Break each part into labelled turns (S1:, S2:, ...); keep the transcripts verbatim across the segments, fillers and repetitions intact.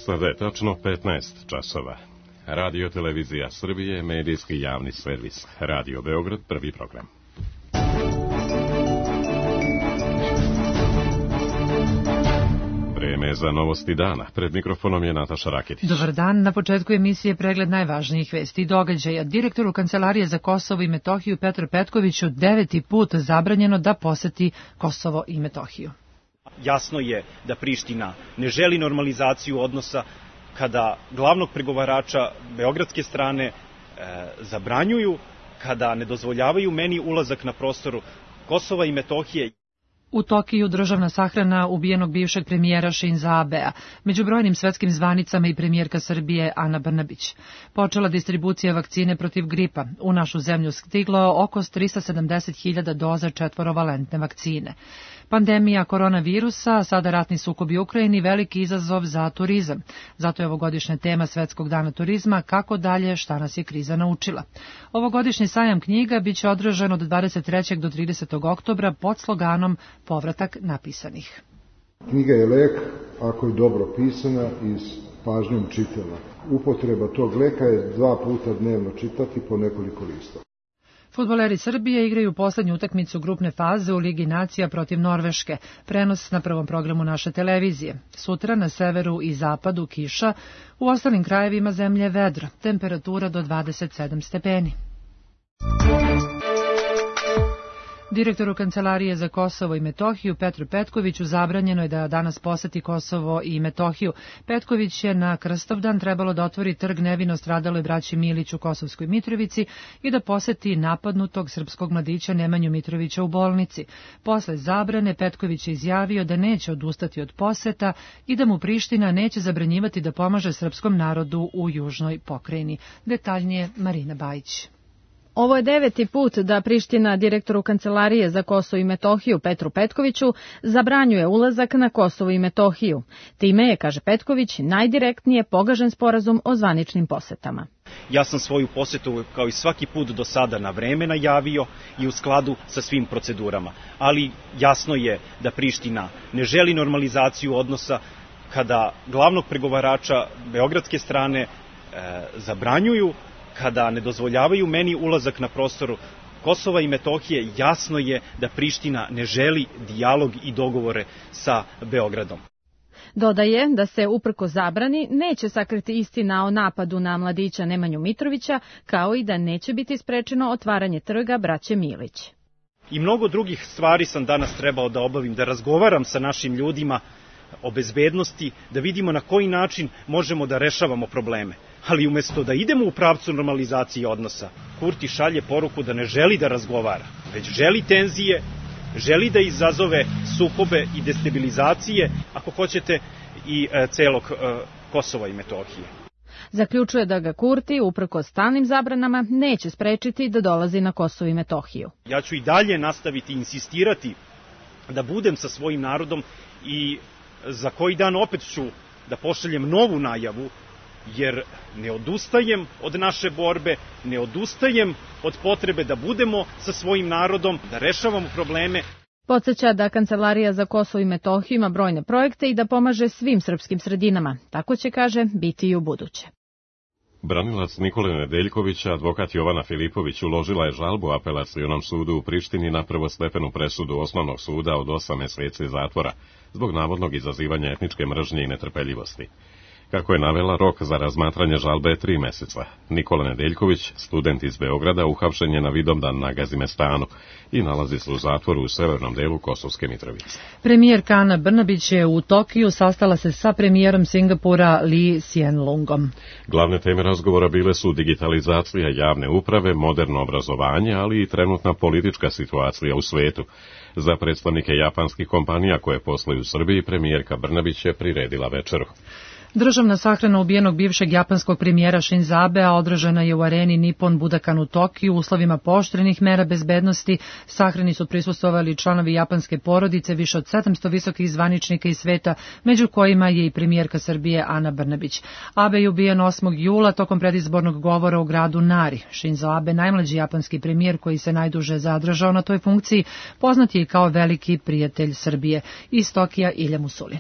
S1: Sada je tačno petnaest časova. Radio Televizija Srbije, medijski javni servis. Radio Beograd, prvi program. Vreme za novosti dana. Pred mikrofonom je Nataša Raketić.
S2: Dobar dan. Na početku emisije pregled najvažnijih vesti i događaja. Direktoru Kancelarije za Kosovo i Metohiju Petru Petkoviću deveti put zabranjeno da poseti Kosovo i Metohiju.
S3: Jasno je da Priština ne želi normalizaciju odnosa kada glavnog pregovarača beogradske strane e, zabranjuju, kada ne dozvoljavaju meni ulazak na prostoru Kosova i Metohije.
S2: U Tokiju državna sahrana ubijenog bivšeg premijera Šinza Abea. Među brojnim svetskim zvanicama i premijerka Srbije Ana Brnabić. Počela distribucija vakcine protiv gripa. U našu zemlju stiglo oko trista sedamdeset hiljada doza četvorovalentne vakcine. Pandemija koronavirusa, sada ratni sukob u Ukrajini, veliki izazov za turizam. Zato je ovogodišnja tema Svetskog dana turizma kako dalje, šta nas je kriza naučila. Ovogodišnji sajam knjiga biće održan od dvadeset trećeg do tridesetog oktobra pod sloganom Povratak napisanih.
S4: Knjiga je lek ako je dobro pisana i s pažnjom čitana. Upotreba tog leka je dva puta dnevno čitati po nekoliko listova.
S2: Fudbaleri Srbije igraju poslednju utakmicu grupne faze u Ligi nacija protiv Norveške. Prenos na prvom programu naše televizije. Sutra na severu i zapadu kiša, u ostalim krajevima zemlje vedro. Temperatura do dvadeset sedam stepeni. Direktoru Kancelarije za Kosovo i Metohiju Petru Petkoviću zabranjeno je da danas poseti Kosovo i Metohiju. Petković je na Krstovdan trebalo da otvori trg nevino stradaloj braći Milić u Kosovskoj Mitrovici i da poseti napadnutog srpskog mladića Nemanju Mitrovića u bolnici. Posle zabrane Petković je izjavio da neće odustati od poseta i da mu Priština neće zabranjivati da pomaže srpskom narodu u južnoj pokrajini. Detaljnije Marina Bajić.
S5: Ovo je deveti put da Priština direktoru Kancelarije za Kosovo i Metohiju Petru Petkoviću zabranjuje ulazak na Kosovo i Metohiju. Time je, kaže Petković, najdirektnije pogažen sporazum o zvaničnim posetama.
S3: Ja sam svoju posetu kao i svaki put do sada na vreme najavio i u skladu sa svim procedurama. Ali jasno je da Priština ne želi normalizaciju odnosa kada glavnog pregovarača beogradske strane e, zabranjuju, kada ne dozvoljavaju meni ulazak na prostoru Kosova i Metohije. Jasno je da Priština ne želi dijalog i dogovore sa Beogradom.
S5: Dodaje da se uprko zabrani neće sakriti istina o napadu na mladića Nemanju Mitrovića, kao i da neće biti sprečeno otvaranje trga braće Milić.
S3: I mnogo drugih stvari sam danas trebao da obavim, da razgovaram sa našim ljudima o bezbednosti, da vidimo na koji način možemo da rešavamo probleme. Ali umjesto da idemo u pravcu normalizacije odnosa, Kurti šalje poruku da ne želi da razgovara, već želi tenzije, želi da izazove sukobe i destabilizacije, ako hoćete, i e, celog e, Kosova i Metohije.
S5: Zaključuje da ga Kurti, uprkos stalnim zabranama, neće sprečiti da dolazi na Kosovo i Metohiju.
S3: Ja ću i dalje nastaviti insistirati da budem sa svojim narodom i za koji dan opet ću da pošaljem novu najavu, jer ne odustajem od naše borbe, ne odustajem od potrebe da budemo sa svojim narodom, da rešavamo probleme.
S5: Podseća da Kancelarija za Kosovo i Metohiju ima brojne projekte i da pomaže svim srpskim sredinama. Tako će, kaže, biti i u buduće.
S1: Branilac Nikole Nedeljkovića, advokat Jovana Filipović, uložila je žalbu apelacionom sudu u Prištini na prvostepenu presudu osnovnog suda od osam meseci zatvora zbog navodnog izazivanja etničke mržnje i netrpeljivosti. Kako je navela, rok za razmatranje žalbe je tri meseca. Nikola Nedeljković, student iz Beograda, uhapšen je na Vidovdan na Gazimestanu i nalazi se u zatvoru u severnom delu Kosovske Mitrovice.
S2: Premijerka Ana Brnabić je u Tokiju sastala se sa premijerom Singapura Lee Hsien Loongom.
S1: Glavne teme razgovora bile su digitalizacija javne uprave, moderno obrazovanje, ali i trenutna politička situacija u svetu. Za predstavnike japanskih kompanija koje posluju u Srbiji, premijerka Brnabić je priredila večeru.
S2: Državna sahrana ubijenog bivšeg japanskog premijera Šinza Abea održana je u areni Nippon Budokan u Tokiju u uslovima pooštrenih mera bezbednosti. Sahrani su prisustvovali članovi japanske porodice, više od sedamsto visokih zvaničnika iz sveta, među kojima je i premijerka Srbije Ana Brnabić. Abe je ubijen osmog jula tokom predizbornog govora u gradu Nari. Šinzo Abe, najmlađi japanski premijer koji se najduže zadržao na toj funkciji, poznat je i kao veliki prijatelj Srbije. Iz Tokija Ilja Musulin.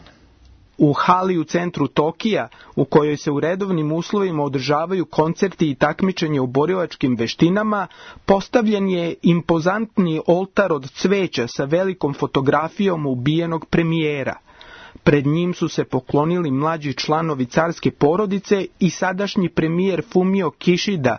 S6: U hali u centru Tokija, u kojoj se u redovnim uslovima održavaju koncerti i takmičenje u borilačkim veštinama, postavljen je impozantni oltar od cveća sa velikom fotografijom ubijenog premijera. Pred njim su se poklonili mlađi članovi carske porodice i sadašnji premijer Fumio Kishida,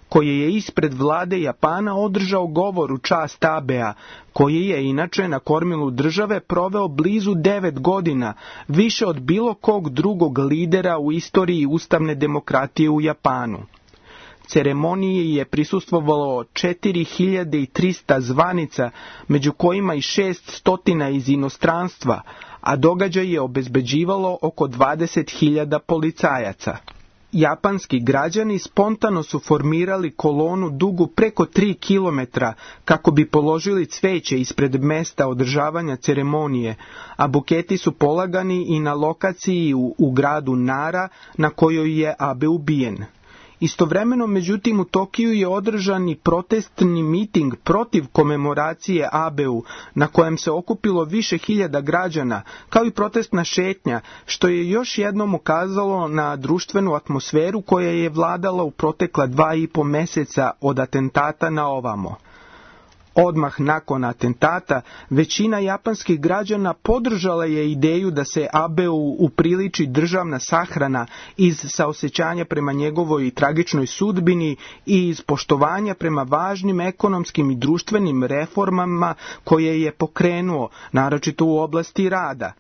S6: koji je ispred vlade Japana održao govor u čast Abea, koji je inače na kormilu države proveo blizu devet godina, više od bilo kog drugog lidera u istoriji ustavne demokratije u Japanu. Ceremoniji je prisustvovalo četiri hiljade trista zvanica, među kojima i šest stotina iz inostranstva, a događaj je obezbeđivalo oko dvadeset hiljada policajaca. Japanski građani spontano su formirali kolonu dugu preko tri kilometra kako bi položili cveće ispred mesta održavanja ceremonije, a buketi su polagani i na lokaciji u, u gradu Nara na kojoj je Abe ubijen. Istovremeno, međutim, u Tokiju je održan i protestni miting protiv komemoracije Abeu, na kojem se okupilo više hiljada građana, kao i protestna šetnja, što je još jednom ukazalo na društvenu atmosferu koja je vladala u protekla dva i po meseca od atentata na ovamo. Odmah nakon atentata, većina japanskih građana podržala je ideju da se Abeu upriliči državna sahrana iz saosećanja prema njegovoj tragičnoj sudbini i iz poštovanja prema važnim ekonomskim i društvenim reformama koje je pokrenuo, naročito u oblasti rada.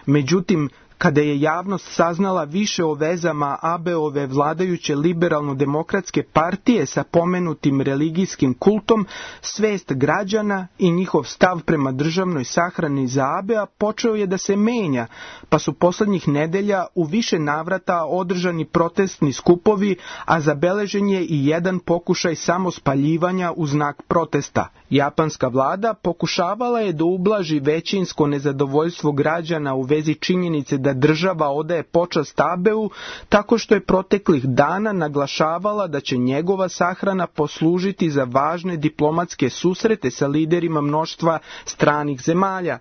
S6: Međutim, kada je javnost saznala više o vezama Abeove vladajuće liberalno-demokratske partije sa pomenutim religijskim kultom, svest građana i njihov stav prema državnoj sahrani za Abea počeo je da se menja, pa su poslednjih nedelja u više navrata održani protestni skupovi, a zabeležen je i jedan pokušaj samospaljivanja u znak protesta. Japanska vlada pokušavala je da ublaži većinsko nezadovoljstvo građana u vezi činjenice da država odaje počast Abeu, tako što je proteklih dana naglašavala da će njegova sahrana poslužiti za važne diplomatske susrete sa liderima mnoštva stranih zemalja.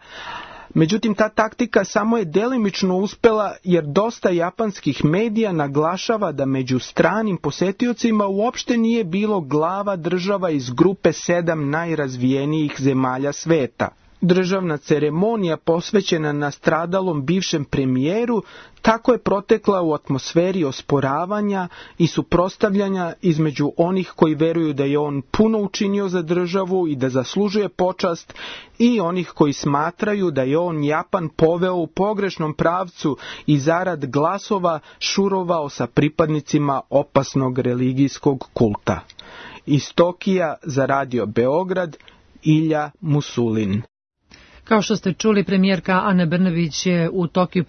S6: Međutim, ta taktika samo je delimično uspela jer dosta japanskih medija naglašava da među stranim posetiocima uopšte nije bilo glava država iz grupe sedam najrazvijenijih zemalja sveta. Državna ceremonija posvećena nastradalom bivšem premijeru tako je protekla u atmosferi osporavanja i suprotstavljanja između onih koji veruju da je on puno učinio za državu i da zaslužuje počast i onih koji smatraju da je on Japan poveo u pogrešnom pravcu i zarad glasova šurovao sa pripadnicima opasnog religijskog kulta. Iz Tokija za Radio Beograd, Ilja Musulin.
S2: Kao što ste čuli, premijerka Ana Brnabić je u Tokiju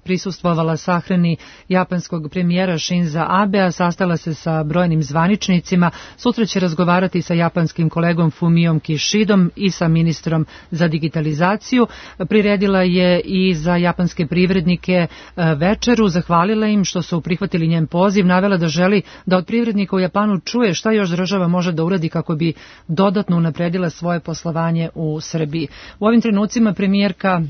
S2: prisustvovala sahrani japanskog premijera Shinza Abea, sastala se sa brojnim zvaničnicima, sutra će razgovarati sa japanskim kolegom Fumiom Kishidom i sa ministrom za digitalizaciju. Priredila je i za japanske privrednike večeru, zahvalila im što su prihvatili njen poziv, navela da želi da od privrednika u Japanu čuje šta još država može da uradi kako bi dodatno unapredila svoje poslovanje u Srbiji. U ovim trenucima premijerka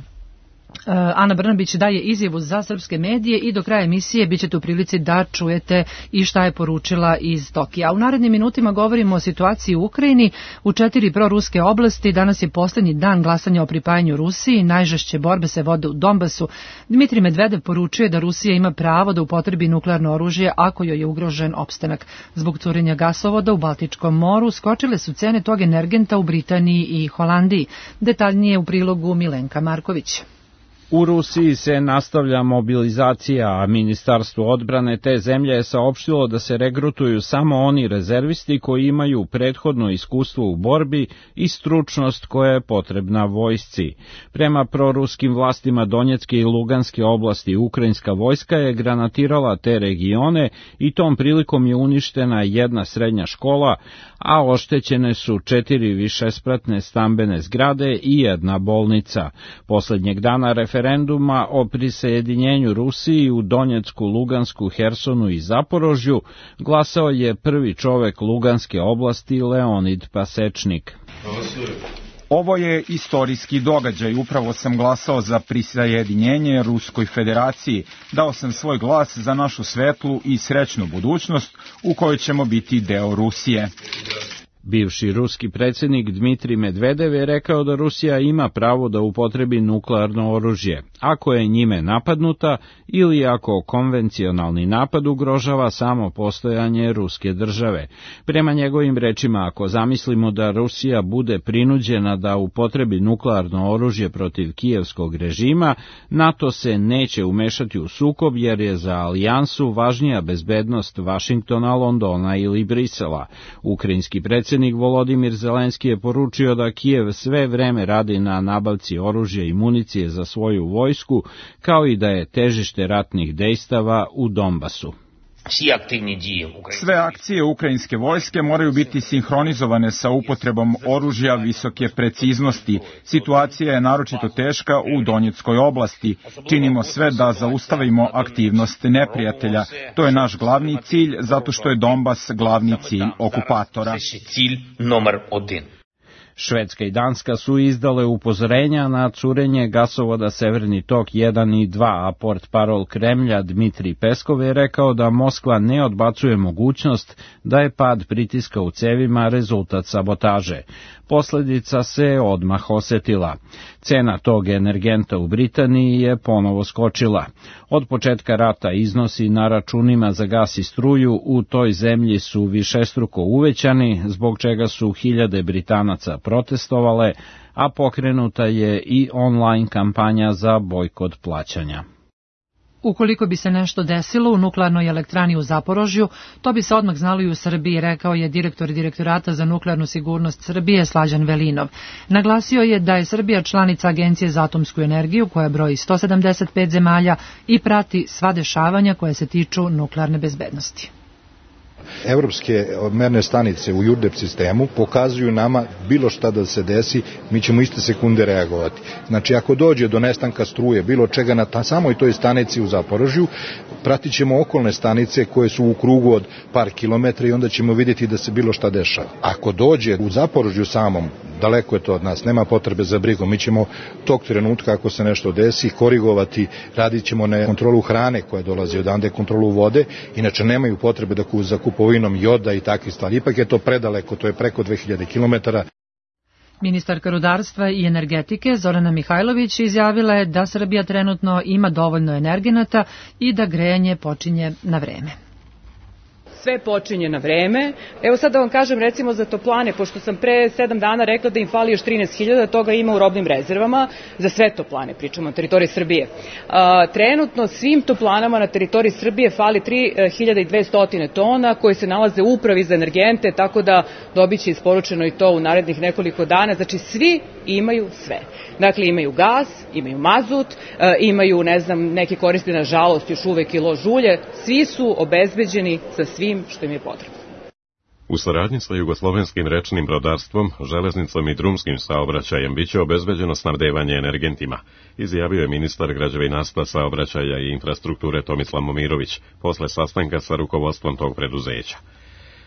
S2: Ana Brnabić daje izjavu za srpske medije i do kraja emisije bit ćete u prilici da čujete i šta je poručila iz Tokija. U narednim minutima govorimo o situaciji u Ukrajini. U četiri proruske oblasti danas je poslednji dan glasanja o pripajanju Rusiji. Najžešće borbe se vode u Donbasu. Dmitrij Medvedev poručuje da Rusija ima pravo da upotrebi nuklearno oružje ako joj je ugrožen opstanak. Zbog curenja gasovoda u Baltičkom moru skočile su cene tog energenta u Britaniji i Holandiji. Detaljnije u prilogu Milenka Marković.
S7: U Rusiji se nastavlja mobilizacija, a Ministarstvo odbrane te zemlje je saopštilo da se regrutuju samo oni rezervisti koji imaju prethodno iskustvo u borbi i stručnost koja je potrebna vojsci. Prema proruskim vlastima Donjecke i Luganske oblasti, ukrajinska vojska je granatirala te regione i tom prilikom je uništena jedna srednja škola, a oštećene su četiri višespratne stambene zgrade i jedna bolnica. Poslednjeg dana referenduma o prisajedinjenju Rusiji u Donjecku, Lugansku, Hersonu i Zaporožju glasao je prvi čovek Luganske oblasti Leonid Pasečnik.
S8: Ovo je istorijski događaj, upravo sam glasao za prisajedinjenje Ruskoj federaciji, dao sam svoj glas za našu svetlu i srećnu budućnost u kojoj ćemo biti deo Rusije.
S7: Bivši ruski predsjednik Dmitrij Medvedev je rekao da Rusija ima pravo da upotrebi nuklearno oružje, ako je njime napadnuta ili ako konvencionalni napad ugrožava samo postojanje ruske države. Prema njegovim rečima, ako zamislimo da Rusija bude prinuđena da upotrebi nuklearno oružje protiv kijevskog režima, NATO se neće umešati u sukob jer je za alijansu važnija bezbednost Vašingtona, Londona ili Brisela. Ukrajinski predsjednik Volodimir Zelenski je poručio da Kijev sve vreme radi na nabavci oružja i municije za svoju vojsku, kao i da je težište ratnih dejstava u Donbasu.
S8: Sve akcije ukrajinske vojske moraju biti sinhronizovane sa upotrebom oružja visoke preciznosti. Situacija je naročito teška u Donjeckoj oblasti. Činimo sve da zaustavimo aktivnost neprijatelja. To je naš glavni cilj, zato što je Donbas glavni cilj okupatora.
S7: Švedska i Danska su izdale upozorenja na curenje gasovoda Severni tok jedan i dva, a portparol Kremlja Dmitrij Peskov je rekao da Moskva ne odbacuje mogućnost da je pad pritiska u cevima rezultat sabotaže. Posljedica se odmah osetila. Cena tog energenta u Britaniji je ponovo skočila. Od početka rata iznosi na računima za gas i struju u toj zemlji su višestruko uvećani, zbog čega su hiljade Britanaca protestovale, a pokrenuta je i online kampanja za bojkot plaćanja.
S2: Ukoliko bi se nešto desilo u nuklearnoj elektrani u Zaporožju, to bi se odmah znalo i u Srbiji, rekao je direktor Direktorata za nuklearnu sigurnost Srbije Slađan Velinov. Naglasio je da je Srbija članica Agencije za atomsku energiju koja broji sto sedamdeset pet zemalja i prati sva dešavanja koja se tiču nuklearne bezbednosti.
S4: Evropske merne stanice u Jurdep sistemu pokazuju nama bilo šta da se desi, mi ćemo iste sekunde reagovati. Znači, ako dođe do nestanka struje, bilo čega na ta, samoj toj stanici u Zaporožju, pratit ćemo okolne stanice koje su u krugu od par kilometra i onda ćemo vidjeti da se bilo šta dešava. Ako dođe u Zaporožju samom, daleko je to od nas, nema potrebe za brigom, mi ćemo tog trenutka, ako se nešto desi, korigovati, radit ćemo na kontrolu hrane koja dolazi odande, kontrolu vode, inače nemaju potrebe da za kupovinom joda i takve stvari. Ipak je to predaleko, to je preko dve hiljade kilometara.
S2: Ministarka rudarstva i energetike Zorana Mihajlović izjavila je da Srbija trenutno ima dovoljno energenata i da grejanje počinje na vreme.
S9: Sve počinje na vreme. Evo sad da vam kažem recimo za toplane, pošto sam pre sedam dana rekla da im fali još trinaest hiljada, toga ima u robnim rezervama, za sve toplane, pričamo na teritoriji Srbije. A, trenutno svim toplanama na teritoriji Srbije fali tri hiljade dvesta tona koje se nalaze u upravi za energente, tako da dobit će isporučeno i to u narednih nekoliko dana. Znači svi imaju sve. Dakle, imaju gas, imaju mazut, imaju, ne znam, neki koriste na žalost još uvek i lož ulje, svi su obezbeđeni sa svim što im je potrebno.
S1: U saradnji sa jugoslovenskim rečnim brodarstvom, železnicom i drumskim saobraćajem biće obezbeđeno snabdevanje energentima, izjavio je ministar građevinarstva, saobraćaja i infrastrukture Tomislav Momirović posle sastanka sa rukovodstvom tog preduzeća.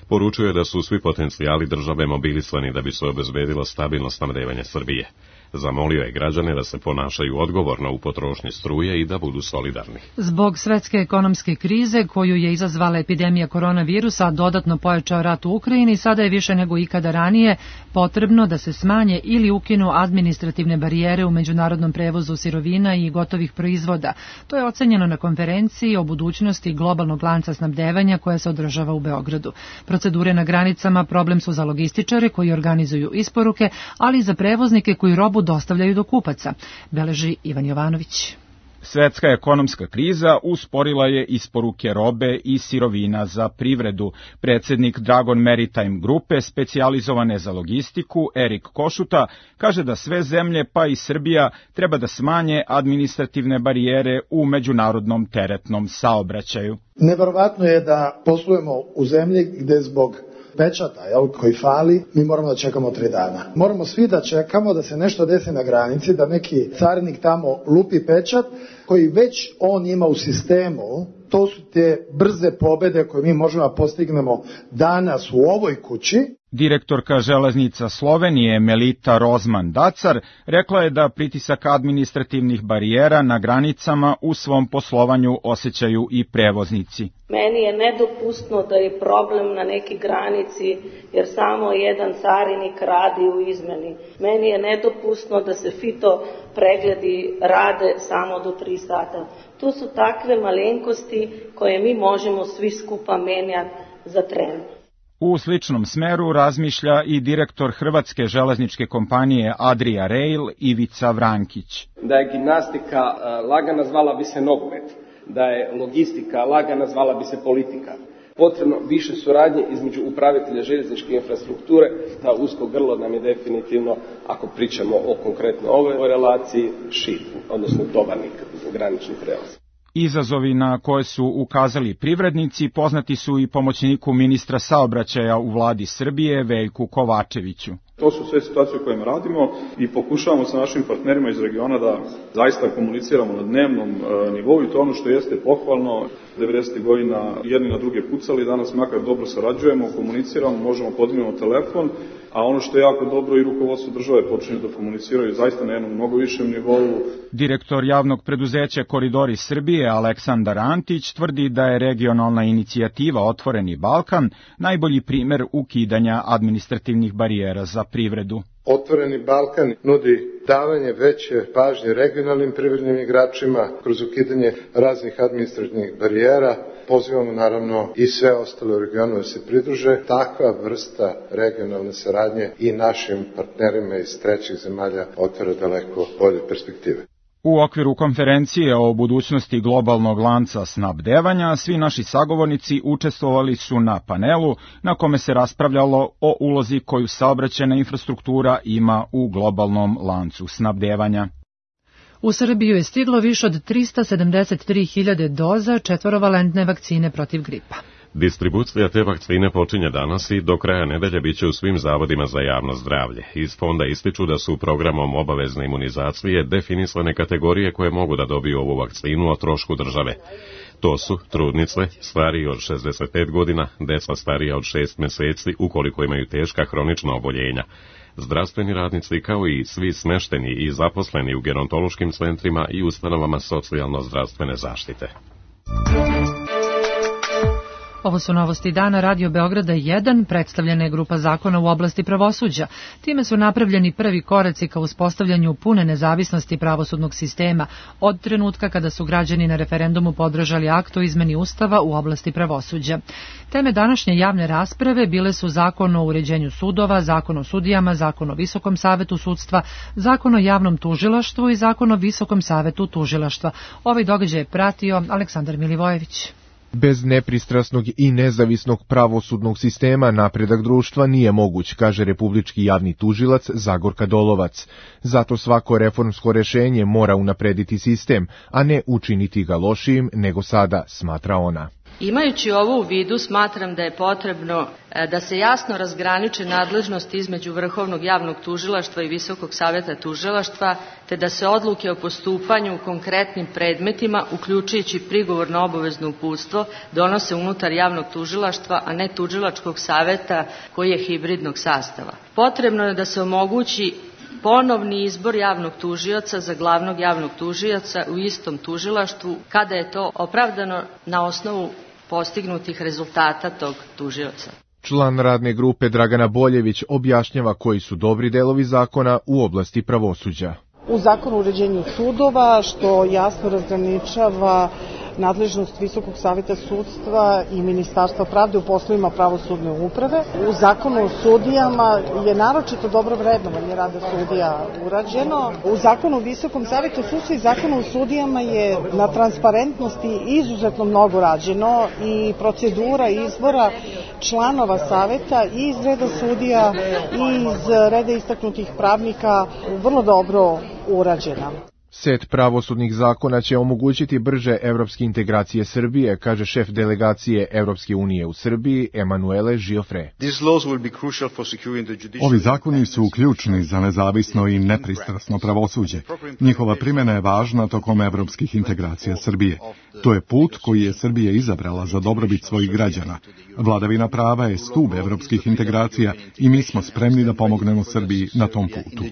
S1: Poručuje je da su svi potencijali države mobilisani da bi se obezbedilo stabilno snabdevanje Srbije. Zamolio je građane da se ponašaju odgovorno u potrošnji struje i da budu solidarni.
S2: Zbog svetske ekonomske krize koju je izazvala epidemija koronavirusa, a dodatno pojačao rat u Ukrajini, sada je više nego ikada ranije potrebno da se smanje ili ukinu administrativne barijere u međunarodnom prevozu sirovina i gotovih proizvoda. To je ocenjeno na konferenciji o budućnosti globalnog lanca snabdevanja koja se održava u Beogradu. Procedure na granicama problem su za logističare koji organizuju isporuke, ali i za prevoznike koji robu dostavljaju do kupaca, beleži Ivan Jovanović.
S8: Svetska ekonomska kriza usporila je isporuke robe i sirovina za privredu. Predsjednik Dragon Maritime grupe, specijalizovane za logistiku, Erik Košuta, kaže da sve zemlje, pa i Srbija, treba da smanje administrativne barijere u međunarodnom teretnom saobraćaju.
S10: Neverovatno je da poslujemo u zemlji gde zbog pečata, jel, koji fali, mi moramo da čekamo tri dana. Moramo svi da čekamo da se nešto desi na granici, da neki carinik tamo lupi pečat, koji već on ima u sistemu. To su te brze pobede koje mi možemo da postignemo danas u ovoj kući.
S8: Direktorka železnica Slovenije Melita Rozman-Dacar rekla je da pritisak administrativnih barijera na granicama u svom poslovanju osjećaju i prevoznici.
S11: Meni je nedopustno da je problem na neki granici jer samo jedan carinik radi u izmeni. Meni je nedopustno da se fito pregledi rade samo do tri sata. To su takve malenkosti koje mi možemo svi skupa menjati za tren.
S8: U sličnom smeru razmišlja i direktor hrvatske železničke kompanije Adria Rail Ivica Vrankić.
S12: Da je gimnastika lagana, zvala bi se nogomet. Da je logistika lagana, zvala bi se politika. Potrebno više suradnje između upravitelja željezničke infrastrukture. Ta usko grlo nam je definitivno, ako pričamo o konkretno ovoj relaciji, šit, odnosno tovarnik, granični prelaz.
S8: Izazovi na koje su ukazali privrednici poznati su i pomoćniku ministra saobraćaja u vladi Srbije Veljku Kovačeviću.
S13: To su sve situacije u kojima radimo i pokušavamo sa našim partnerima iz regiona da zaista komuniciramo na dnevnom e, nivou i to ono što jeste pohvalno. devedesetih godina jedni na druge pucali, danas makar dobro sarađujemo, komuniciramo, možemo podignemo telefon, a ono što je jako dobro i rukovodstvo države počinju da komuniciraju zaista na jednom mnogo višem nivou.
S8: Direktor javnog preduzeća Koridori Srbije Aleksandar Antić tvrdi da je regionalna inicijativa Otvoreni Balkan najbolji primer ukidanja administrativnih barijera za privredu.
S14: Otvoreni Balkan nudi davanje veće pažnje regionalnim privrednim igračima kroz ukidanje raznih administrativnih barijera. Pozivamo naravno i sve ostale u regionu da se pridruže. Takva vrsta regionalne saradnje i našim partnerima iz trećih zemalja otvara daleko bolje perspektive.
S8: U okviru konferencije o budućnosti globalnog lanca snabdevanja, svi naši sagovornici učestvovali su na panelu na kome se raspravljalo o ulozi koju saobraćajna infrastruktura ima u globalnom lancu snabdevanja.
S2: U Srbiju je stiglo više od trista sedamdeset tri hiljade doza četvorovalentne vakcine protiv gripa.
S1: Distribucija te vakcine počinje danas i do kraja nedelje biće u svim zavodima za javno zdravlje. Iz fonda ističu da su programom obavezne imunizacije definisane kategorije koje mogu da dobiju ovu vakcinu o trošku države. To su trudnice, stariji od šezdeset pet godina, deca starija od šest meseci ukoliko imaju teška hronična oboljenja, zdravstveni radnici kao i svi smešteni i zaposleni u gerontološkim centrima i ustanovama socijalno-zdravstvene zaštite.
S2: Ovo su novosti dana Radio Beograda jedan, predstavljena je grupa zakona u oblasti pravosuđa. Time su napravljeni prvi koraci ka uspostavljanju pune nezavisnosti pravosudnog sistema od trenutka kada su građani na referendumu podržali akt o izmeni Ustava u oblasti pravosuđa. Teme današnje javne rasprave bile su zakon o uređenju sudova, zakon o sudijama, zakon o Visokom savetu sudstva, zakon o javnom tužilaštvu i zakon o Visokom savetu tužilaštva. Ovaj događaj je pratio Aleksandar Milivojević.
S15: Bez nepristrasnog i nezavisnog pravosudnog sistema napredak društva nije moguć, kaže republički javni tužilac Zagorka Dolovac. Zato svako reformsko rešenje mora unaprediti sistem, a ne učiniti ga lošijim nego sada, smatra ona.
S16: Imajući ovo u vidu, smatram da je potrebno da se jasno razgraniče nadležnosti između Vrhovnog javnog tužilaštva i Visokog saveta tužilaštva, te da se odluke o postupanju u konkretnim predmetima, uključujući prigovor na obavezno uputstvo, donose unutar javnog tužilaštva, a ne tužilačkog saveta koji je hibridnog sastava. Potrebno je da se omogući ponovni izbor javnog tužioca za glavnog javnog tužioca u istom tužilaštvu kada je to opravdano na osnovu postignutih rezultata tog tužioca.
S15: Član radne grupe Dragana Boljević objašnjava koji su dobri delovi zakona u oblasti pravosuđa.
S17: U zakonu o uređenju sudova, što jasno razgraničava nadležnost Visokog saveta sudstva i Ministarstva pravde u poslovima pravosudne uprave. U zakonu o sudijama je naročito dobro vrednovanje rada sudija urađeno. U zakonu o Visokom savetu sudstva i zakonu o sudijama je na transparentnosti izuzetno mnogo rađeno i procedura izbora članova saveta i iz reda sudija i iz reda istaknutih pravnika vrlo dobro urađena.
S15: Set pravosudnih zakona će omogućiti brže evropske integracije Srbije, kaže šef delegacije Evropske unije u Srbiji, Emanuele Giofre.
S18: Ovi zakoni su ključni za nezavisno i nepristrasno pravosuđe. Njihova primjena je važna tokom evropskih integracija Srbije. To je put koji je Srbija izabrala za dobrobit svojih građana. Vladavina prava je stub evropskih integracija i mi smo spremni da pomognemo Srbiji na tom putu.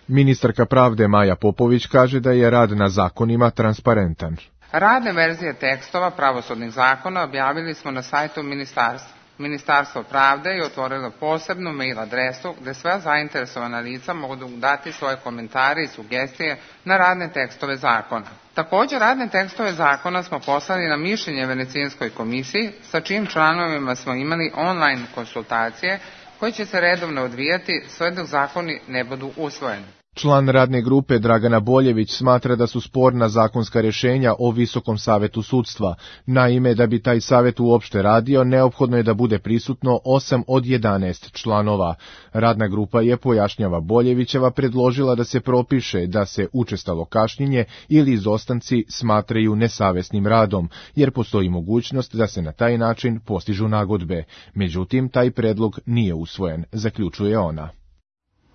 S15: Ministarka pravde Maja Popović kaže da je rad na zakonima transparentan.
S19: Radne verzije tekstova pravosudnih zakona objavili smo na sajtu ministarstva. Ministarstvo pravde je otvorilo posebnu mail adresu gde sva zainteresovana lica mogu dati svoje komentare i sugestije na radne tekstove zakona. Također, radne tekstove zakona smo poslali na mišljenje Venecijanskoj komisiji, sa čijim članovima smo imali online konsultacije koje će se redovno odvijati sve dok zakoni ne budu usvojeni.
S15: Član radne grupe Dragana Boljević smatra da su sporna zakonska rješenja o Visokom savetu sudstva. Naime, da bi taj savet uopšte radio, neophodno je da bude prisutno osam od jedanaest članova. Radna grupa je, pojašnjava Boljevićeva, predložila da se propiše da se učestalo kašnjenje ili izostanci smatraju nesavesnim radom, jer postoji mogućnost da se na taj način postižu nagodbe. Međutim, taj predlog nije usvojen, zaključuje ona.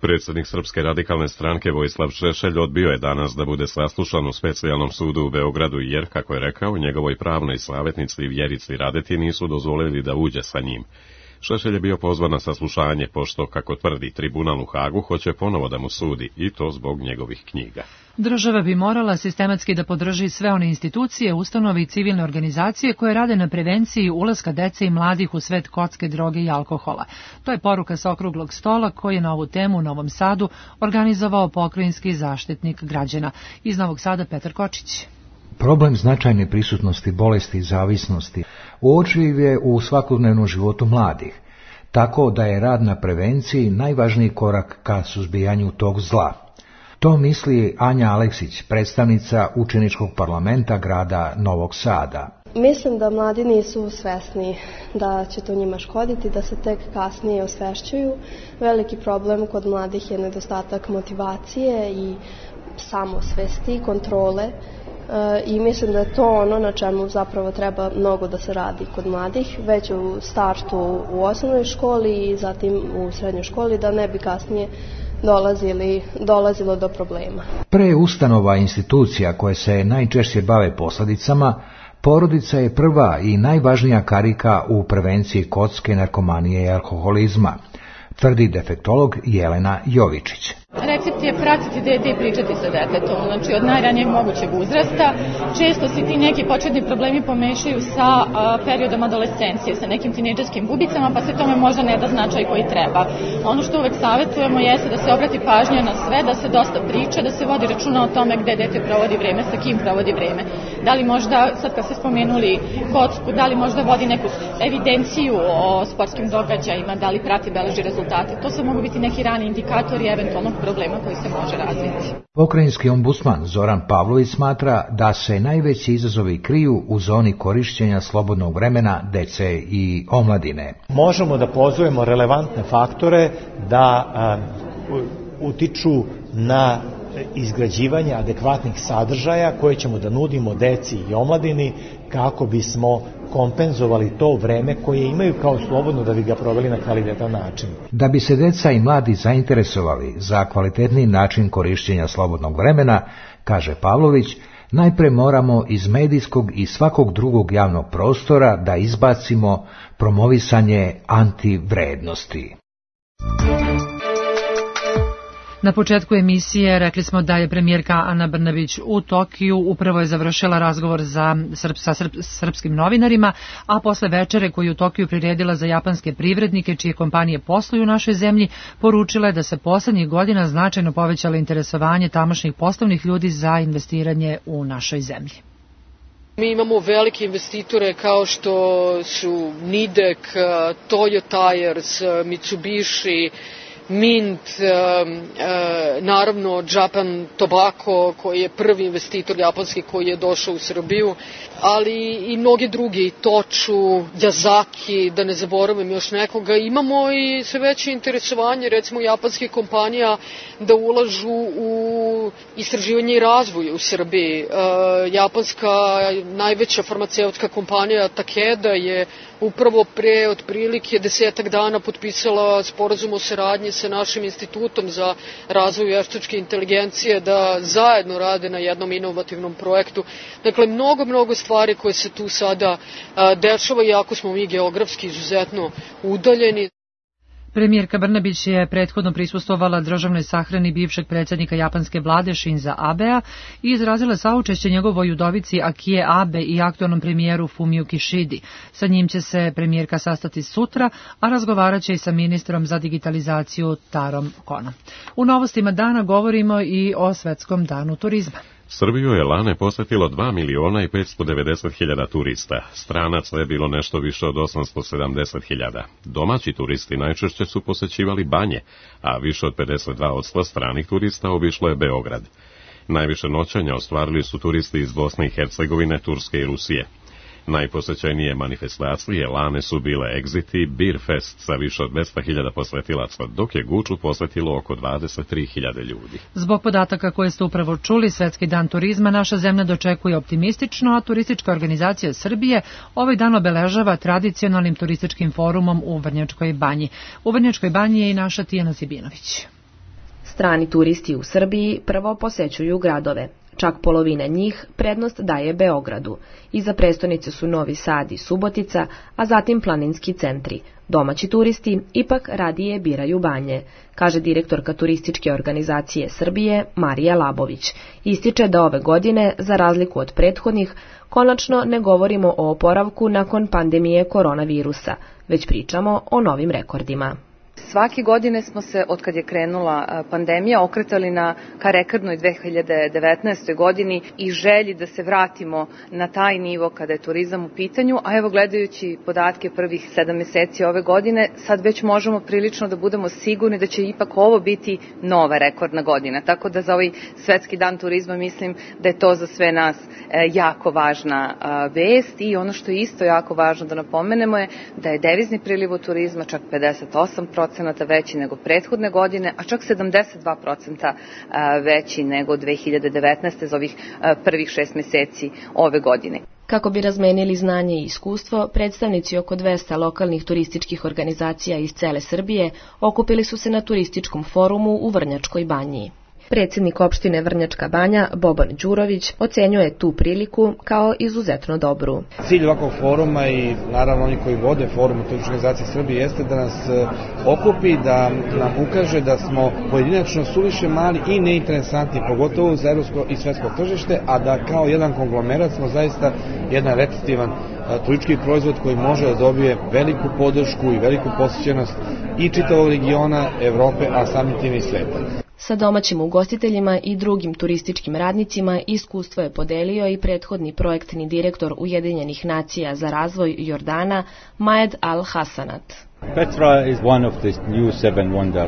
S1: Predsjednik Srpske radikalne stranke Vojislav Šešelj odbio je danas da bude saslušan u specijalnom sudu u Beogradu jer, kako je rekao, njegovoj pravnoj savjetnici Vjerici Radeti nisu dozvolili da uđe sa njim. Šešelj je bio pozvan na saslušanje pošto, kako tvrdi tribunal u Hagu, hoće ponovo da mu sudi, i to zbog njegovih knjiga.
S2: Država bi morala sistematski da podrži sve one institucije, ustanove i civilne organizacije koje rade na prevenciji ulaska dece i mladih u svet kocke, droge i alkohola. To je poruka sa okruglog stola koji je na ovu temu u Novom Sadu organizovao pokrajinski zaštitnik građana. Iz Novog Sada Petar Kočić.
S20: Problem značajne prisutnosti bolesti i zavisnosti uočljiv je u svakodnevnom životu mladih, tako da je rad na prevenciji najvažniji korak ka suzbijanju tog zla. To misli Anja Aleksić, predstavnica učeničkog parlamenta grada Novog Sada.
S21: Mislim da mladi nisu svesni da će to njima škoditi, da se tek kasnije osvešćuju. Veliki problem kod mladih je nedostatak motivacije i samosvesti, kontrole. I mislim da je to ono na čemu zapravo treba mnogo da se radi kod mladih, već u startu u osnovnoj školi i zatim u srednjoj školi, da ne bi kasnije dolazili, dolazilo do problema.
S20: Pre ustanova institucija koje se najčešće bave posledicama, porodica je prva i najvažnija karika u prevenciji kocke, narkomanije i alkoholizma, tvrdi defektolog Jelena Jovičić.
S22: Recept je pratiti dete i pričati sa detetom, znači od najranijeg mogućeg uzrasta. Često se ti neki početni problemi pomešaju sa a, periodom adolescencije, sa nekim tinejdžerskim bubicama, pa se tome možda ne da značaj koji treba. Ono što uvek savjetujemo jeste da se obrati pažnja na sve, da se dosta priča, da se vodi računa o tome gde dete provodi vreme, sa kim provodi vreme. Da li možda, sad kad ste spomenuli kocku, da li možda vodi neku evidenciju o sportskim događajima, da li prati, beleži rezultate. To se mogu biti neki rani indikatori eventualnog problema koji se može razviti.
S20: Pokrajinski ombudsman Zoran Pavlović smatra da se najveći izazovi kriju u zoni korišćenja slobodnog vremena dece i omladine.
S23: Možemo da pozovemo relevantne faktore da a, utiču na izgrađivanje adekvatnih sadržaja koje ćemo da nudimo deci i omladini kako bismo kompenzovali to vreme koje imaju kao slobodno da bi ga proveli na kvalitetan način.
S20: Da bi se deca i mladi zainteresovali za kvalitetni način korišćenja slobodnog vremena, kaže Pavlović, najpre moramo iz medijskog i svakog drugog javnog prostora da izbacimo promovisanje antivrednosti.
S2: Na početku emisije rekli smo da je premijerka Ana Brnabić u Tokiju upravo je završila razgovor za srp, sa srp, srpskim novinarima, a posle večere koju u Tokiju priredila za japanske privrednike čije kompanije posluju u našoj zemlji, poručila je da se poslednjih godina značajno povećalo interesovanje tamošnjih poslovnih ljudi za investiranje u našoj zemlji.
S24: Mi imamo velike investitore kao što su Nidek, Toyo Tires, Mitsubishi, Mint, naravno Japan Tobacco koji je prvi investitor japanski koji je došao u Srbiju, ali i mnogi drugi, Tochu, Yazaki, da ne zaboravim još nekoga. Imamo i sve veće interesovanje recimo japanskih kompanija da ulažu u istraživanje i razvoj u Srbiji. Japanska najveća farmaceutska kompanija Takeda je upravo pre otprilike desetak dana potpisala sporazum o saradnji sa našim institutom za razvoj veštačke inteligencije da zajedno rade na jednom inovativnom projektu. Dakle, mnogo, mnogo stvari koje se tu sada dešava, iako smo mi geografski izuzetno udaljeni.
S2: Premijerka Brnabić je prethodno prisustvovala državnoj sahrani bivšeg predsjednika japanske vlade Shinza Abea i izrazila saučešće njegovoj udovici Akie Abe i aktualnom premijeru Fumiju Kishidi. Sa njim će se premijerka sastati sutra, a razgovarat će i sa ministrom za digitalizaciju Tarom Konom. U novostima dana govorimo i o Svetskom danu turizma.
S1: Srbiju je lane posetilo dva miliona i petsto devedeset hiljada turista. Stranaca je bilo nešto više od osamsto sedamdeset hiljada. Domaći turisti najčešće su posećivali banje, a više od pedeset dva posto stranih turista obišlo je Beograd. Najviše noćenja ostvarili su turisti iz Bosne i Hercegovine, Turske i Rusije. Najposećenije manifestacije lane su bile Exit i Beer Fest sa više od dvesta hiljada posetilaca, dok je Guču posvetilo oko dvadeset tri hiljade ljudi.
S2: Zbog podataka koje ste upravo čuli, Svetski dan turizma naša zemlja dočekuje optimistično, a Turistička organizacija Srbije ovaj dan obeležava tradicionalnim turističkim forumom u Vrnjačkoj banji. U Vrnjačkoj banji je i naša Tijana Zibinović.
S3: Strani turisti u Srbiji prvo posećuju gradove. Čak polovina njih prednost daje Beogradu. Iza prestonice su Novi Sad i Subotica, a zatim planinski centri. Domaći turisti ipak radije biraju banje, kaže direktorka Turističke organizacije Srbije Marija Labović. Ističe da ove godine, za razliku od prethodnih, konačno ne govorimo o oporavku nakon pandemije koronavirusa, već pričamo o novim rekordima.
S5: Svake godine smo se, od kad je krenula pandemija, okretali na ka rekordnoj dve hiljade devetnaestoj godini i želji da se vratimo na taj nivo kada je turizam u pitanju, a evo gledajući podatke prvih sedam meseci ove godine, sad već možemo prilično da budemo sigurni da će ipak ovo biti nova rekordna godina. Tako da za ovaj Svetski dan turizma mislim da je to za sve nas jako važna vest i ono što je isto jako važno da napomenemo je da je devizni priliv od turizma čak pedeset osam procenata veći nego prethodne godine, a čak sedamdeset dva procenta veći nego dve hiljade devetnaeste za ovih prvih šest meseci ove godine.
S3: Kako bi razmenili znanje i iskustvo, predstavnici oko dvesta lokalnih turističkih organizacija iz cele Srbije okupili su se na turističkom forumu u Vrnjačkoj banji. Predsjednik opštine Vrnjačka banja, Boban Đurović, ocenjuje tu priliku kao izuzetno dobru.
S6: Cilj ovakvog foruma i naravno oni koji vode forum u Turističkoj organizaciji Srbije jeste da nas okupi, da nam ukaže da smo pojedinačno suviše mali i neinteresantni, pogotovo za evropsko i svetsko tržište, a da kao jedan konglomerat smo zaista jedan repetitivan turistički proizvod koji može da dobije veliku podršku i veliku posjećenost i čitavog regiona, Evrope, a samim tim i sveta.
S3: Sa domaćim ugostiteljima i drugim turističkim radnicima iskustvo je podelio i prethodni projektni direktor Ujedinjenih nacija za razvoj Jordana, Majed Al-Hasanat.
S7: Petra is one of the new seven wonder.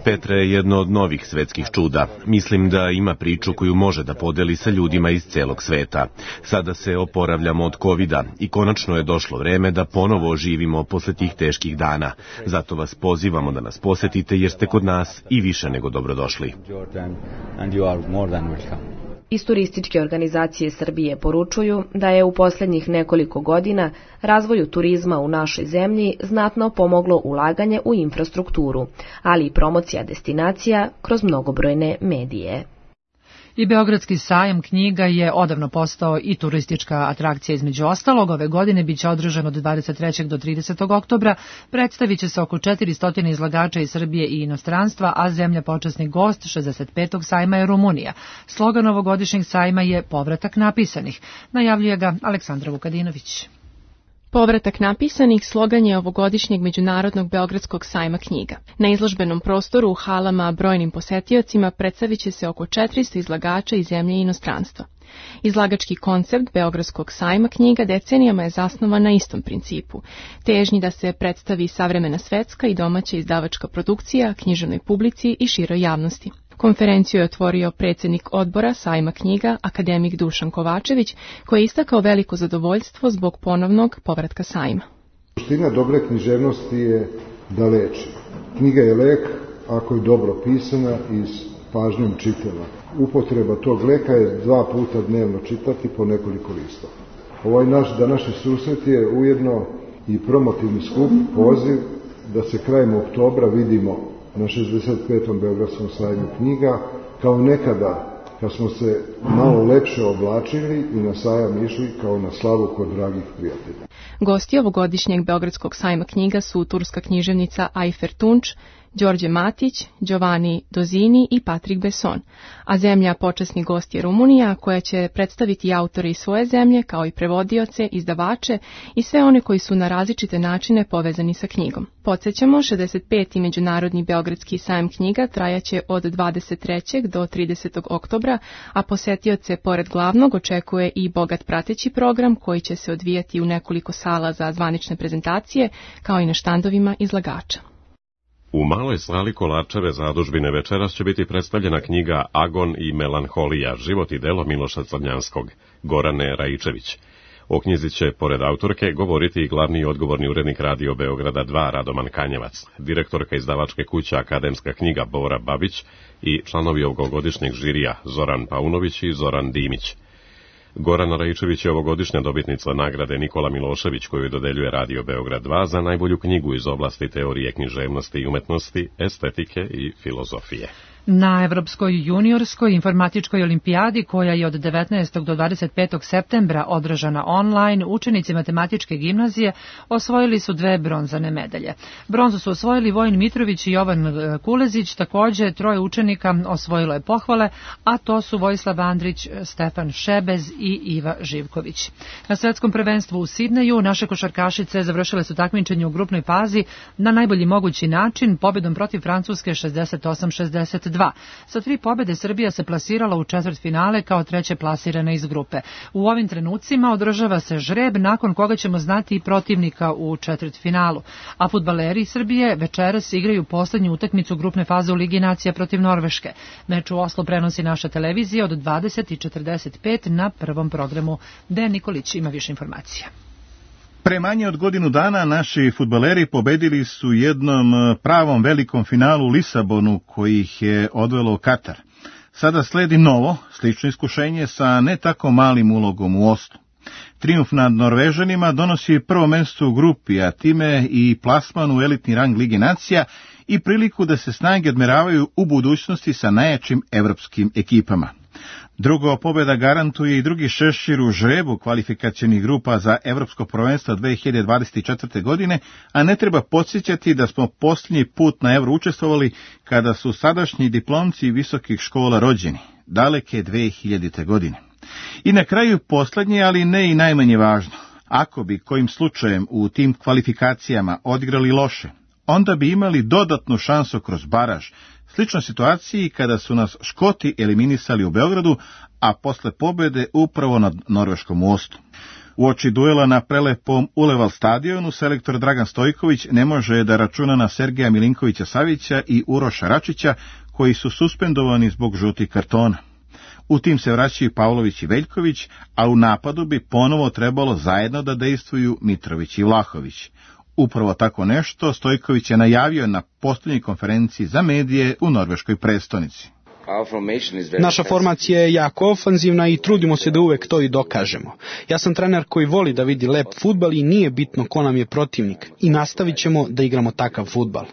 S25: Petra je jedno od novih svetskih čuda. Mislim da ima priču koju može da podeli sa ljudima iz celog sveta. Sada se oporavljamo od kovida i konačno je došlo vreme da ponovo oživimo posle tih teških dana. Zato vas pozivamo da nas posetite jer ste kod nas i više nego dobrodošli.
S3: Iz Turističke organizacije Srbije poručuju da je u posljednjih nekoliko godina razvoju turizma u našoj zemlji znatno pomoglo ulaganje u infrastrukturu, ali i promocija destinacija kroz mnogobrojne medije.
S2: I Beogradski sajam knjiga je odavno postao i turistička atrakcija između ostalog. Ove godine biće održan od dvadeset trećeg do tridesetog oktobra. Predstavit će se oko četiristo izlagača iz Srbije i inostranstva, a zemlja počasni gost šezdeset petog sajma je Rumunija. Slogan ovogodišnjeg sajma je Povratak napisanih. Najavljuje ga Aleksandra Vukadinović.
S26: Povratak napisanih slogan je ovogodišnjeg Međunarodnog Beogradskog sajma knjiga. Na izložbenom prostoru u halama brojnim posetiocima predstavit će se oko četiristo izlagača iz zemlje i inostranstva. Izlagački koncept Beogradskog sajma knjiga decenijama je zasnovan na istom principu, težnji da se predstavi savremena svetska i domaća izdavačka produkcija književnoj publici i široj javnosti. Konferenciju je otvorio predsjednik odbora sajma knjiga, akademik Dušan Kovačević, koji je istakao veliko zadovoljstvo zbog ponovnog povratka sajma.
S4: Suština dobre književnosti je da leči. Knjiga je lek ako je dobro pisana i s pažnjom čitana. Upotreba tog leka je dva puta dnevno čitati po nekoliko listova. Ovaj naš današnji susret je ujedno i promotivni skup, poziv da se krajem oktobra vidimo na šezdeset petom Beogradskom sajmu knjiga, kao nekada kad smo se malo lepše oblačili i na sajam išli kao na slavu kod dragih prijatelja.
S26: Gosti ovogodišnjeg Beogradskog sajma knjiga su turska književnica Ayfer Tunç, Đorđe Matić, Giovanni Dozini i Patrik Besson, a zemlja počasni gost je Rumunija, koja će predstaviti autore iz svoje zemlje, kao i prevodioce, izdavače i sve one koji su na različite načine povezani sa knjigom. Podsjećamo, šezdeset peti Međunarodni Beogradski sajam knjiga trajaće od dvadeset trećeg do tridesetog oktobra, a posetioce pored glavnog očekuje i bogat prateći program koji će se odvijati u nekoliko sala za zvanične prezentacije, kao i na štandovima izlagača.
S1: U maloj sali Kolarčeve zadužbine večeras će biti predstavljena knjiga Agon i melanholija, život i delo Miloša Crnjanskog, Gorane Raičević. O knjizi će, pored autorke, govoriti i glavni i odgovorni urednik Radio Beograda dva Radoman Kanjevac, direktorka izdavačke kuće Akademska knjiga Bora Babić i članovi ovogodišnjeg žirija Zoran Paunović i Zoran Dimić. Gorana Raičević je ovogodišnja dobitnica nagrade Nikola Milošević, koju dodeljuje Radio Beograd dva za najbolju knjigu iz oblasti teorije književnosti i umetnosti, estetike i filozofije.
S2: Na Evropskoj juniorskoj informatičkoj olimpijadi, koja je od devetnaestog do dvadeset petog septembra održana online, učenici matematičke gimnazije osvojili su dve bronzane medalje. Bronzu su osvojili Vojin Mitrović i Jovan Kulezić, takođe troje učenika osvojilo je pohvale, a to su Vojislav Andrić, Stefan Šebez i Iva Živković. Na svetskom prvenstvu u Sidneju naše košarkašice završile su takmičenje u grupnoj fazi na najbolji mogući način, pobedom protiv Francuske šezdeset osam šezdeset dva. Sa tri pobede Srbija se plasirala u četvrtfinale kao treće plasirana iz grupe. U ovim trenucima održava se žreb nakon koga ćemo znati i protivnika u četvrtfinalu. A fudbaleri Srbije večeras igraju poslednju utakmicu grupne faze u Ligi nacija protiv Norveške. Meč u Oslu prenosi naša televizija od dvadeset i četrdeset pet na prvom programu. Dejan Nikolić ima više informacija.
S9: Pre manje od godinu dana naši fudbaleri pobedili su jednom pravom velikom finalu u Lisabonu, koji ih je odvelo u Katar. Sada sledi novo, slično iskušenje sa ne tako malim ulogom u Oslu. Trijumf nad Norvežanima donosi prvo mesto u grupi, a time i plasman u elitni rang Lige nacija i priliku da se snage odmeravaju u budućnosti sa najjačim evropskim ekipama. Drugo, pobjeda garantuje i drugi šešir u žrebu kvalifikacionih grupa za Evropsko prvenstvo dve hiljade dvadeset četvrte. godine, a ne treba podsjećati da smo posljednji put na Evro učestvovali kada su sadašnji diplomci visokih škola rođeni, daleke dve hiljadite. godine. I na kraju posljednje, ali ne i najmanje važno, ako bi kojim slučajem u tim kvalifikacijama odigrali loše, onda bi imali dodatnu šansu kroz baraž, sličnoj situaciji kada su nas Škoti eliminisali u Beogradu, a posle pobjede upravo nad Norveškom u Oslu. Uoči duela na prelepom Uleval stadionu, selektor Dragan Stojković ne može da računa na Sergeja Milinkovića Savića i Uroša Račića, koji su suspendovani zbog žutih kartona. U tim se vraćaju Pavlović i Veljković, a u napadu bi ponovo trebalo zajedno da dejstvuju Mitrović i Vlahović. Upravo tako nešto Stojković je najavio na posljednjoj konferenciji za medije u norveškoj prestonici.
S10: Naša formacija je jako ofanzivna i trudimo se da uvek to i dokažemo. Ja sam trener koji voli da vidi lep fudbal i nije bitno ko nam je protivnik i nastavit ćemo da igramo takav fudbal.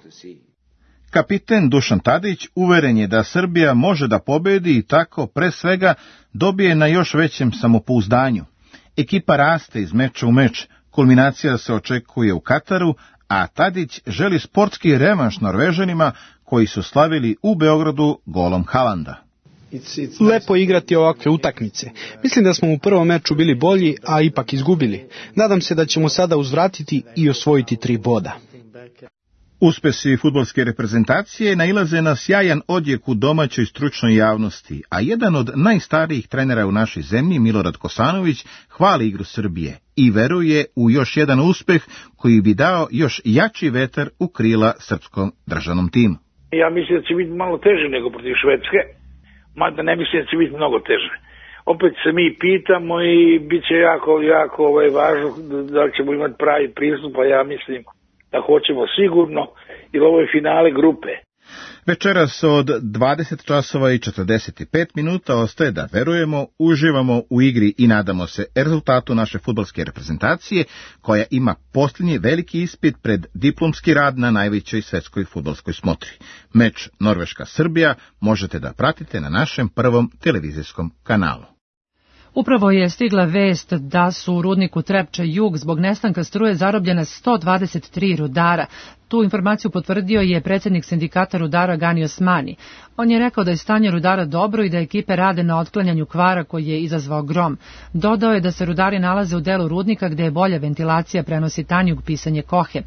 S9: Kapiten Dušan Tadić uveren je da Srbija može da pobedi i tako pre svega dobije na još većem samopouzdanju. Ekipa raste iz meča u meč, kulminacija se očekuje u Kataru, a Tadić želi sportski revanš Norvežanima koji su slavili u Beogradu golom Haalanda.
S10: Lepo igrati ovakve utakmice. Mislim da smo u prvom meču bili bolji, a ipak izgubili. Nadam se da ćemo sada uzvratiti i osvojiti tri boda.
S9: Uspesi fudbalske reprezentacije nailaze na sjajan odjek u domaćoj stručnoj javnosti, a jedan od najstarijih trenera u našoj zemlji, Milorad Kosanović, hvali igru Srbije i veruje u još jedan uspeh koji bi dao još jači vetar u krila srpskom državnom timu.
S8: Ja mislim da će biti malo teže nego protiv Švedske, mada ne mislim da će biti mnogo teže. Opet se mi pitamo i bit će jako, jako ovaj, važno da ćemo imati pravi pristup, a ja mislim da hoćemo sigurno, jer ovo je finale grupe.
S9: Večeras od dvadeset časova i četrdeset pet minuta ostaje da verujemo, uživamo u igri i nadamo se rezultatu naše fudbalske reprezentacije, koja ima posljednji veliki ispit pred diplomski rad na najvećoj svetskoj fudbalskoj smotri. Meč Norveška-Srbija možete da pratite na našem prvom televizijskom kanalu.
S2: Upravo je stigla vest da su u rudniku Trepča Jug zbog nestanka struje zarobljena sto dvadeset tri rudara. Tu informaciju potvrdio je predsjednik sindikata rudara Gani Osmani. On je rekao da je stanje rudara dobro i da ekipe rade na otklanjanju kvara koji je izazvao grom. Dodao je da se rudari nalaze u delu rudnika gde je bolja ventilacija, prenosi Tanjug pisanje Kohe.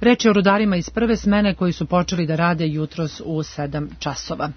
S2: Reč je o rudarima iz prve smene koji su počeli da rade jutros u sedam časova.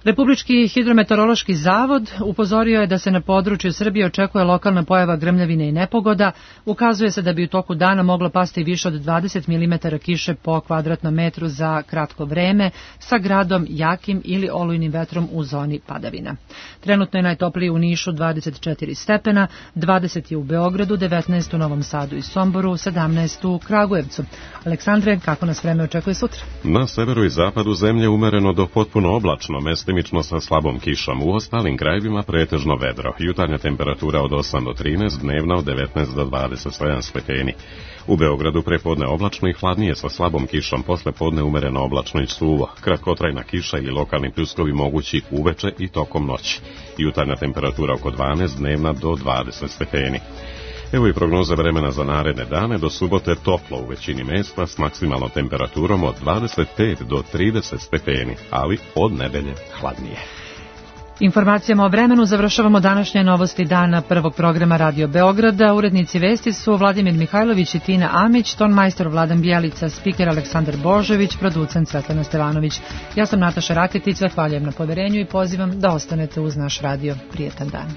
S2: Republički hidrometeorološki zavod upozorio je da se na području Srbije očekuje lokalna pojava grmljavine i nepogoda. Ukazuje se da bi u toku dana moglo pasti više od dvadeset milimetara kiše po kvadratnom metru za kratko vreme, sa gradom jakim ili olujnim vetrom u zoni padavina. Trenutno je najtoplije u Nišu dvadeset četiri stepena, dvadeset je u Beogradu, devetnaest u Novom Sadu i Somboru, sedamnaest u Kragujevcu. Aleksandre, kako nas vreme očekuje sutra?
S1: Na severu i zapadu zemlje umereno do potpuno oblačno, mestimično sa slabom kišom. U ostalim krajevima pretežno vedro. Jutarnja temperatura od osam do trinaest, dnevna od devetnaest do dvadeset sedam stepeni. U Beogradu prepodne oblačno i hladnije sa slabom kišom, posle podne umereno oblačno i suvo. Kratkotrajna kiša ili lokalni pljuskovi mogući uveče i tokom noći. Jutarnja temperatura oko dvanaest, dnevna do dvadeset stepeni. Evo i prognoze vremena za naredne dane. Do subote toplo u većini mesta s maksimalnom temperaturom od dvadeset pet do trideset stepeni, ali od nedelje hladnije.
S2: Informacijama o vremenu završavamo današnje novosti dana prvog programa Radio Beograda. Urednici vesti su Vladimir Mihajlović i Tina Amić, tonmajstor Vladan Bjelica, spiker Aleksandar Božović, producent Svetlana Stevanović. Ja sam Nataša Raketic, zahvaljujem na poverenju i pozivam da ostanete uz naš radio. Prijetan dan.